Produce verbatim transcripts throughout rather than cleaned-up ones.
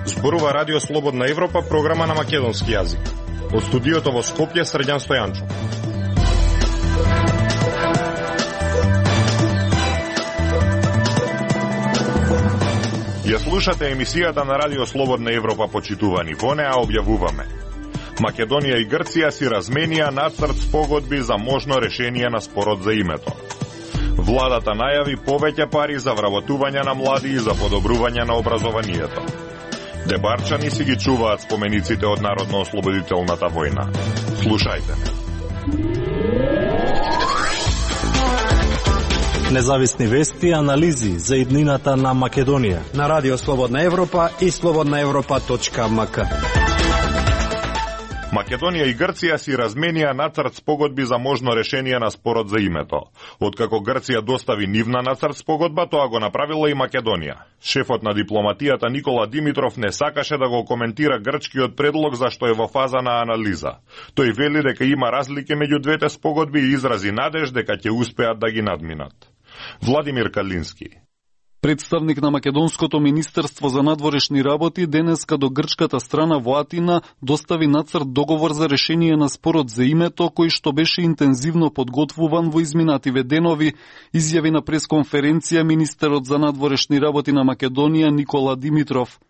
Зборува Радио Слободна Европа, програма на македонски јазик. Од студиото во Скопје, Срđan Стојанчов. Ја слушате емисијата на Радио Слободна Европа, почитувани. Во неа објавуваме: Македонија и Грција си разменија нацрт спогодби за можно решение на спорот за името. Владата најави повеќе пари за вработување на млади и за подобрување на образованието. Дебарчани си ги чуваат спомениците од Народно-ослободителната војна. Слушајте. Независни вести и анализи за иднината на Македонија на Радио Слободна Европа и слободна европа точка ем ка. Македонија и Грција си разменија нацрт спогодби за можно решение на спорот за името. Откако Грција достави нивна нацрт спогодба, тоа го направила и Македонија. Шефот на дипломатијата Никола Димитров не сакаше да го коментира грчкиот предлог зашто е во фаза на анализа. Тој вели дека има разлики меѓу двете спогодби и изрази надеж дека ќе успеат да ги надминат. Владимир Калински. Представник на Македонското министерство за надворешни работи денеска до грчката страна во Атина достави нацрт договор за решение на спорот за името, кој што беше интензивно подготвуван во изминативе денови, изјави на пресконференција министерот за надворешни работи на Македонија Никола Димитров.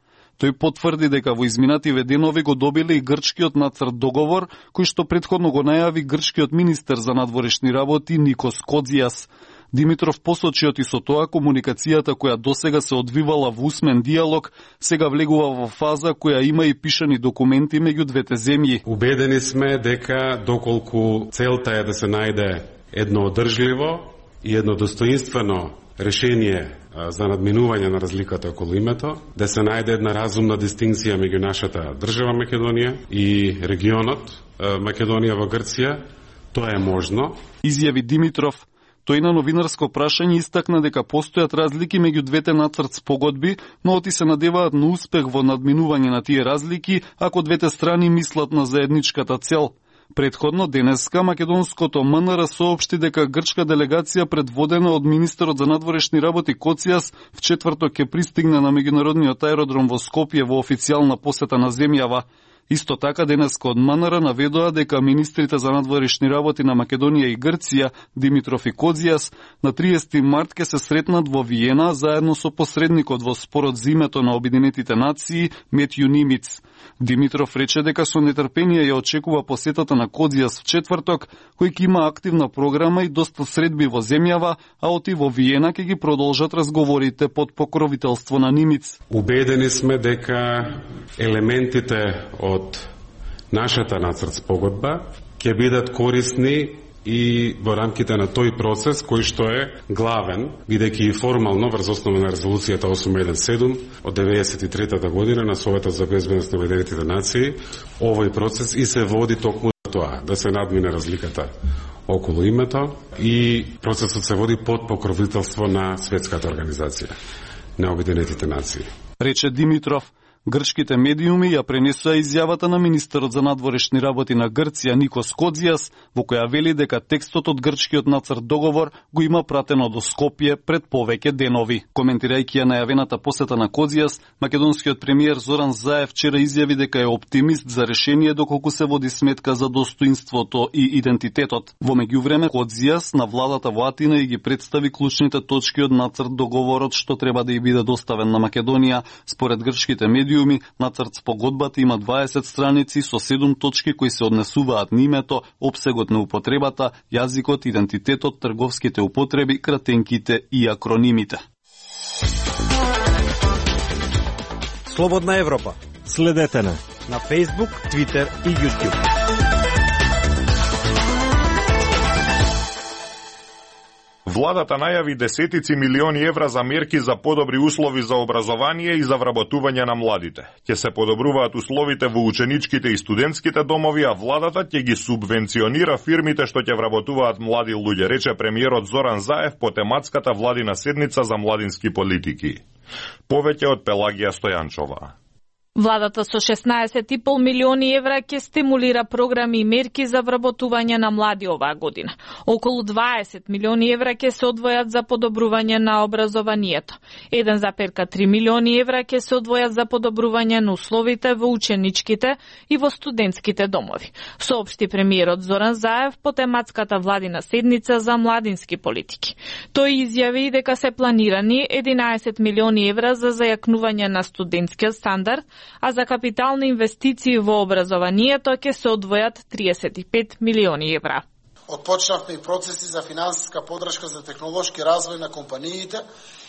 Тој потврди дека во изминативе денови го добиле и грчкиот нацрт договор, кој што претходно го најави грчкиот министер за надворешни работи Никос Коdzias. Димитров посочи оти со тоа комуникацијата која досега се одвивала во усмен диалог, сега влегува во фаза која има и пишани документи меѓу двете земји. Убедени сме дека доколку целта е да се најде едно одржливо и едно достоинствено решение за надминување на разликата околу името, да се најде една разумна дистинкција меѓу нашата држава Македонија и регионот Македонија во Грција, тоа е можно. Изјави Димитров. Тој на новинарско прашање истакна дека постојат разлики меѓу двете нацрт спогодби, но оти се надеваат на успех во надминување на тие разлики ако двете страни мислат на заедничката цел. Предходно денеска македонското ем ен ер соопшти дека грчка делегација предводена од министерот за надворешни работи Коdzias в четврток ќе пристигне на меѓународниот аеродром во Скопје во официјална посета на земјава. Исто така денеска од ем ен ер наведоа дека министрите за надворешни работи на Македонија и Грција, Димитров и Коdzias, на триесети март ќе се сретнат во Виена заедно со посредникот во спорот за името на Обединетите нации Метју Нимиц. Димитров рече дека со нетрпение ја очекува посетата на Коdzias в четврток, кој ќе има активна програма и доста средби во земјава, а оти во Виена ќе ги продолжат разговорите под покровителство на Нимиц. Убедени сме дека елементите од нашата нацрт спогодба ќе бидат корисни и во рамките на тој процес кој што е главен, бидејќи и формално врз основа на резолуцијата осум еден седум од деветдесет и трета година на Советот за безбедност на Обединетите нации, овој процес и се води токму за тоа, да се надмине разликата околу името, и процесот се води под покровителство на Светската организација на Обединетите нации. Рече Димитров. Грчките медиуми ја пренесоа изјавата на министерот за надворешни работи на Грција Никос Коdzias, во која вели дека текстот од грчкиот нацрт договор го има пратено до Скопје пред повеќе денови. Коментирајќи ја најавената посета на Коdzias, македонскиот премиер Зоран Заев вчера изјави дека е оптимист за решение доколку се води сметка за достоинството и идентитетот. Во меѓувреме Коdzias на владата во Атина и ги представи клучните точки од нацрт договорот што треба да ја биде доставен на Македонија. Според грчките медиуми, нацрт спогодбата има дваесет страници со седум точки кои се однесуваат на името, опсегот на употребата, јазикот, идентитетот, трговските употреби, кратенките и акронимите. Слободна Европа. Следете на на Facebook, Twitter и YouTube. Владата најави десетици милиони евра за мерки за подобри услови за образование и за вработување на младите. Ќе се подобруваат условите во ученичките и студентските домови, а владата ќе ги субвенционира фирмите што ќе вработуваат млади луѓе, рече премиерот Зоран Заев по тематската владина седница за младински политики. Повеќе од Пелагија Стојанчова. Владата со шеснаесет и пол милиони евра ќе стимулира програми и мерки за вработување на млади оваа година. Околу дваесет милиони евра ќе се одвојат за подобрување на образованието. еден зарез три милиони евра ќе се одвојат за подобрување на условите во ученичките и во студентските домови, соопшти премиерот Зоран Заев по тематската владина седница за младински политики. Тој изјави дека се планирани единаесет милиони евра за зајакнување на студентскиот стандард, а за капитални инвестиции во образованието ќе се одвојат триесет и пет милиони евра. Отпочнавме и процеси за финансиска подршка за технолошки развој на компаниите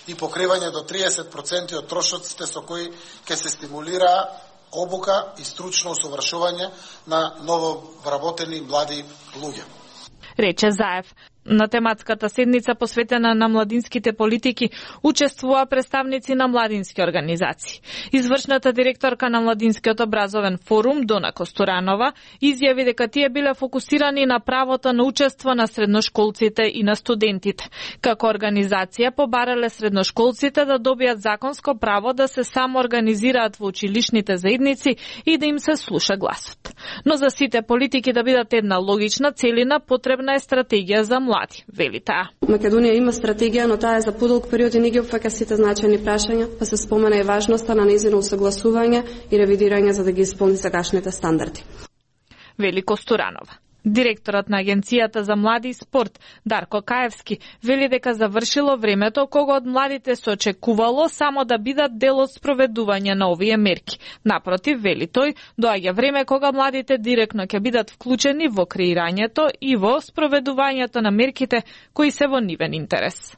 и покривање до триесет проценти од трошоците со кои ќе се стимулира обука и стручно усовршување на нововработени млади луѓе. Рече Заев. На тематската седница посветена на младинските политики учествува представници на младински организации. Извршната директорка на Младинскиот образовен форум Дона Костуранова изјави дека тие биле фокусирани на правото на учество на средношколците и на студентите. Како организација побарале средношколците да добијат законско право да се самоорганизираат во училишните заедници и да им се слуша гласот. Но за сите политики да бидат една логична целина, потребна е стратегија за млади. Млади, вели таа. Македонија има стратегија, но таа е за подолг период и не ги опфаќа сите значајни прашања, па се спомена и важноста на нејзино усогласување и ревидирање за да ги исполни сегашните стандарди. Вели Костуранова. Директорот на Агенцијата за млади и спорт Дарко Каевски вели дека завршило времето кога од младите се очекувало само да бидат дел од спроведување на овие мерки. Напротив, вели тој, доаѓа време кога младите директно ќе бидат вклучени во креирањето и во спроведувањето на мерките кои се во нивен интерес.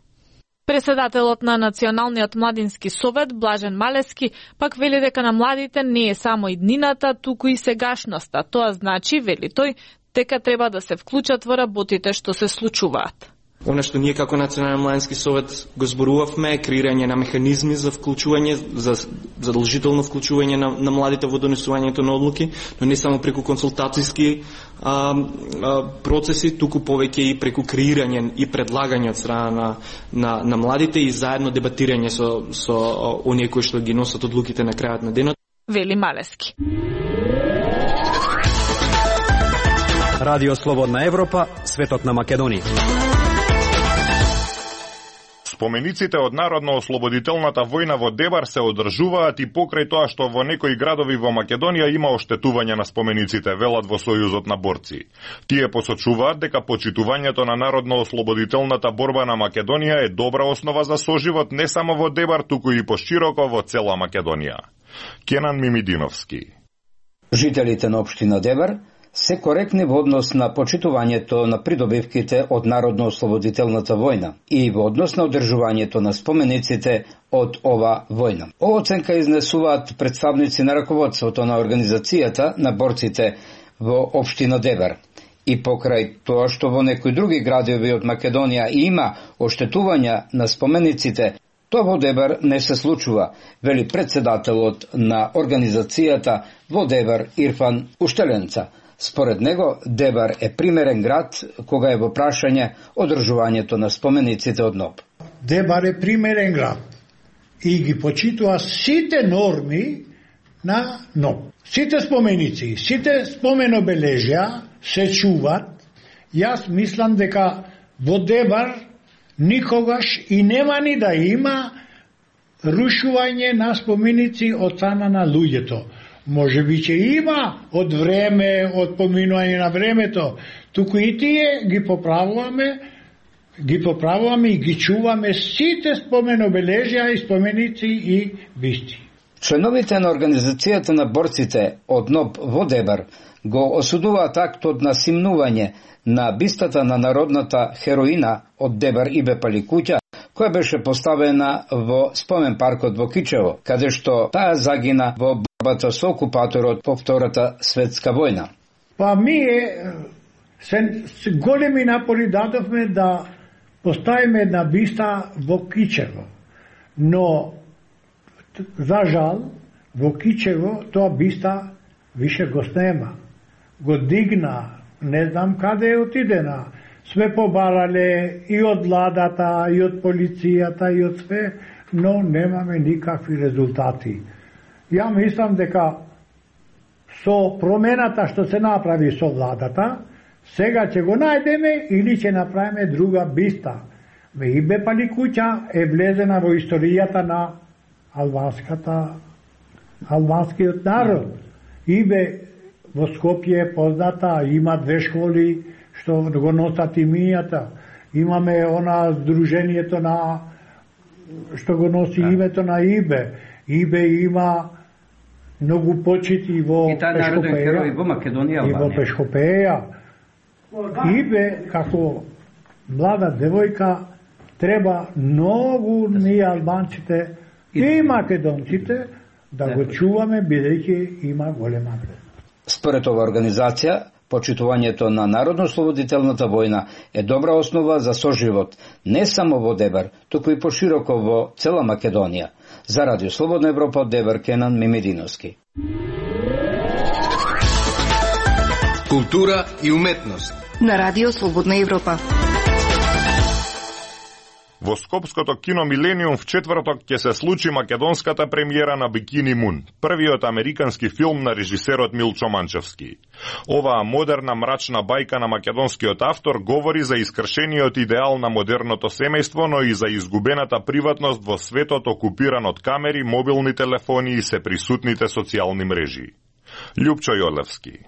Председателот на Националниот младински совет Блажен Малески пак вели дека на младите не е само иднината, туку и сегашноста. Тоа значи, вели тој, дека треба да се вклучат во работите што се случуваат. Она што ние како Национален младински совет го зборувавме е креирање на механизми за вклучување, за задолжително вклучување на, на младите во донесувањето на одлуки, но не само преку консултацијски а, а, процеси, туку повеќе и преку креирање и предлагање од страна на, на, на младите и заедно дебатирање со, со оние кои што ги носат одлуките на крајот на денот. Вели Малески. Радио Слободна Европа, светот на Македонија. Спомениците од Народно-ослободителната војна во Дебар се одржуваат и покрај тоа што во некои градови во Македонија има оштетување на спомениците, велат во Сојузот на борци. Тие посочуваат дека почитувањето на Народно-ослободителната борба на Македонија е добра основа за соживот не само во Дебар, туку и пошироко во цела Македонија. Кенан Мимидиновски. Жителите на општина Дебар се коректни во однос на почитувањето на придобивките од Народно-ослободителната војна и во однос на одржувањето на спомениците од ова војна. Ова оценка изнесуваат представници на раководството на организацијата на борците во општина Дебар. И покрај тоа што во некои други градови од Македонија има оштетувања на спомениците, тоа во Дебар не се случува, вели председателот на организацијата во Дебар Ирфан Уштеленца. Според него, Дебар е примерен град кога е во прашање одржувањето на спомениците од НОБ. Дебар е примерен град и ги почитува сите норми на НОБ. Сите споменици, сите споменобележја се чуват. Јас мислам дека во Дебар никогаш и нема ни да има рушување на споменици од страна на луѓето. Може би ќе има од време, од поминување на времето, туку и тие ги поправуваме, ги поправуваме и ги чуваме сите споменобележја и споменици и бисти. Членовите на организацијата на борците од НОБ во Дебар го осудуваат актот на симнување на бистата на народната хероина од Дебар Ибе Паликуќа, која беше поставена во спомен паркот во Кичево, каде што таа загина во борбата со окупаторот по Втората светска војна. Па ние се, се големи напори дадовме да поставиме една биста во Кичево, но за жал во Кичево тоа биста више го снема, го дигна, не знам каде е отидена. Све побарале и од владата, и од полицијата, и од све, но немаме никакви резултати. Ја мислам дека со промената што се направи со владата, сега ќе го најдеме или ќе направиме друга биста. Ибе Паликуќа е влезена во историјата на албанската албанскиот народ. Ибе во Скопје е позната, има две школи што го носат имињата. Имаме она здруженијето на што го носи да. Името на Ибе. Ибе има многу почити во Пешкопеја. И во Македонија, и во Пешкопеја. Ибе како млада девојка треба многу ние албанците и македонците да го чуваме, бидејќи има голема вредност. Според ова организација, почитувањето на Народно-ослободителната војна е добра основа за соживот не само во Дебар, туку и пошироко во цела Македонија. За Радио Слободна Европа од Дебар, Кенан Мимидиновски. Култура и уметност на Радио Слободна Европа. Во Скопското кино Милениум в четврток ќе се случи македонската премиера на Бикини Мун, првиот американски филм на режисерот Милчо Манчевски. Оваа модерна мрачна бајка на македонскиот автор говори за искршениот идеал на модерното семејство, но и за изгубената приватност во светот окупиран од камери, мобилни телефони и сеприсутните социјални мрежи. Љупчо Јолевски.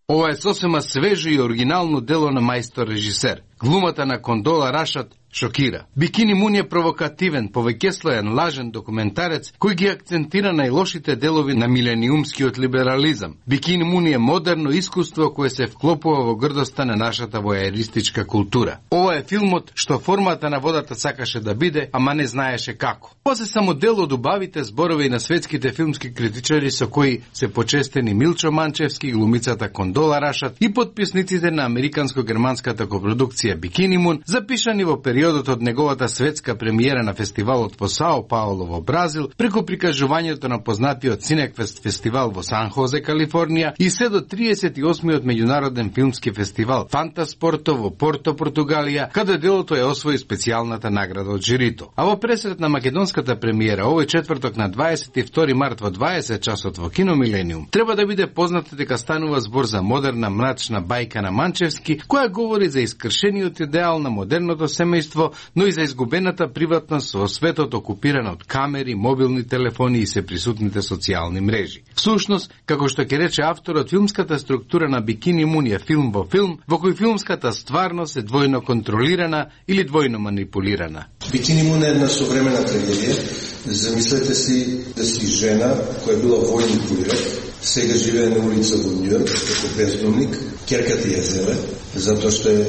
Ова е сосема свежо и оригинално дело на мајстор режисер. Глумата на Кондола Рашат шокира. Бикини Мун е провокативен, повеќеслоен, лажен документарец кој ги акцентира најлошите делови на милениумскиот либерализам. Бикини Мун е модерно искуство кое се вклопува во грдоста на нашата војеристичка култура. Ова е филмот што формата на водата сакаше да биде, ама не знаеше како. Ова се само дел од убавите зборови на светските филмски критичари со кои се почестени Милчо Манчевски, глумицата Кондола Рашат и подписниците на американско-германската копродукција Бикини Мун, запишани во периодот од неговата светска премиера на фестивалот во Сао Пауло во Бразил, преку прикажувањето на познатиот Синеквест фестивал во Сан Хозе, Калифорнија и се до триесет и осмиот меѓународен филмски фестивал Фантаспорто во Порто, Португалија, каде делото е освои специјалната награда од жирито. А во пресрет на македонската премиера овој четврток на дваесет и втори март во дваесет часот во Кино Милениум, треба да биде познато дека станува збор за модерна мрачна бајка на Манчевски, која говори за искршениот идеал на модерното семејство, но и за изгубената приватност во светот окупиран од камери, мобилни телефони и сеприсутните социјални мрежи. Всушност, како што ќе рече авторот, филмската структура на Бикини Мун е филм во филм, во кој филмската стварност е двојно контролирана или двојно манипулирана. Бикини Мун е една современа трагедија. Замислете си да си жена која била војни курир, сега живее на улица во Њујорк како бездомник, ќерката ја зеле, затоа што е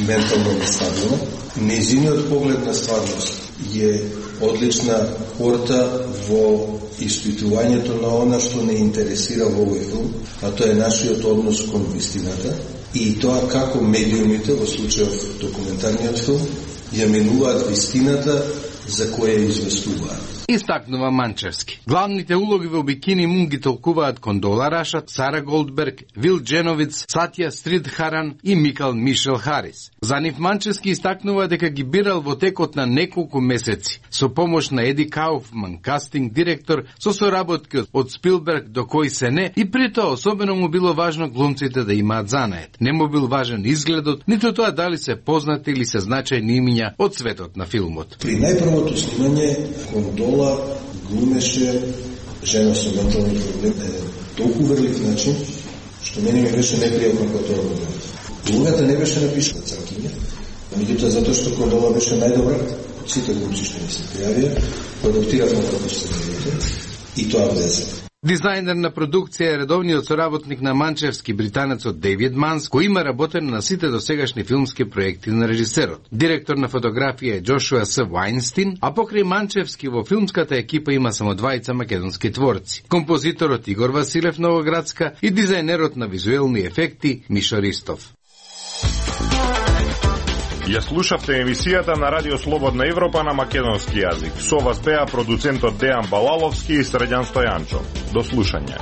ментално нестабилна. Нејзиниот поглед на стварност е одлична порта во испитувањето на она што не интересира во овој филм, а тоа е нашиот однос кон вистината и тоа како медиумите, во случајов документарниот филм, ја менуваат вистината за која известуваат. Истакнува Манчевски. Главните улоги во Бикини Мун ги толкуваат Кондола Рашат, Сара Голдберг, Вил Дженовиц, Сатја Стридхаран и Микал Мишел Харис. За нив Манчевски истакнува дека ги бирал во текот на неколку месеци, со помош на Еди Кауфман, кастинг директор, со соработки од Спилберг до кој се не, и при тоа особено му било важно глумците да имаат занает. Не му бил важен изгледот, ниту тоа дали се познати или се значајни имиња од светот на филмот. При најпрвото снимање Кондола глумеше жена со ментални проблеми на толку врлив начин, што мене ми беше непријатно кога тоа го гледав. Улогата не беше напишана цркиња, меѓутоа затоа што Кондола беше најдобра од сите глумци што ми се пријавија, продуктиравме како сценариите и тоа влезе. Дизајнер на продукција е редовниот соработник на Манчевски, британецот Дейвид Манс, кој има работено на сите досегашни филмски проекти на режисерот. Директор на фотографија е Джошуа С. Вајнстин, а покрај Манчевски во филмската екипа има само двајца македонски творци. Композиторот Игор Василев Новоградска и дизајнерот на визуелни ефекти Мишо Ристов. Ја слушавте емисијата на Радио Слободна Европа на македонски јазик. Со вас беа продуцентот Дејан Балаловски и Средјан Стојанчо. До слушање.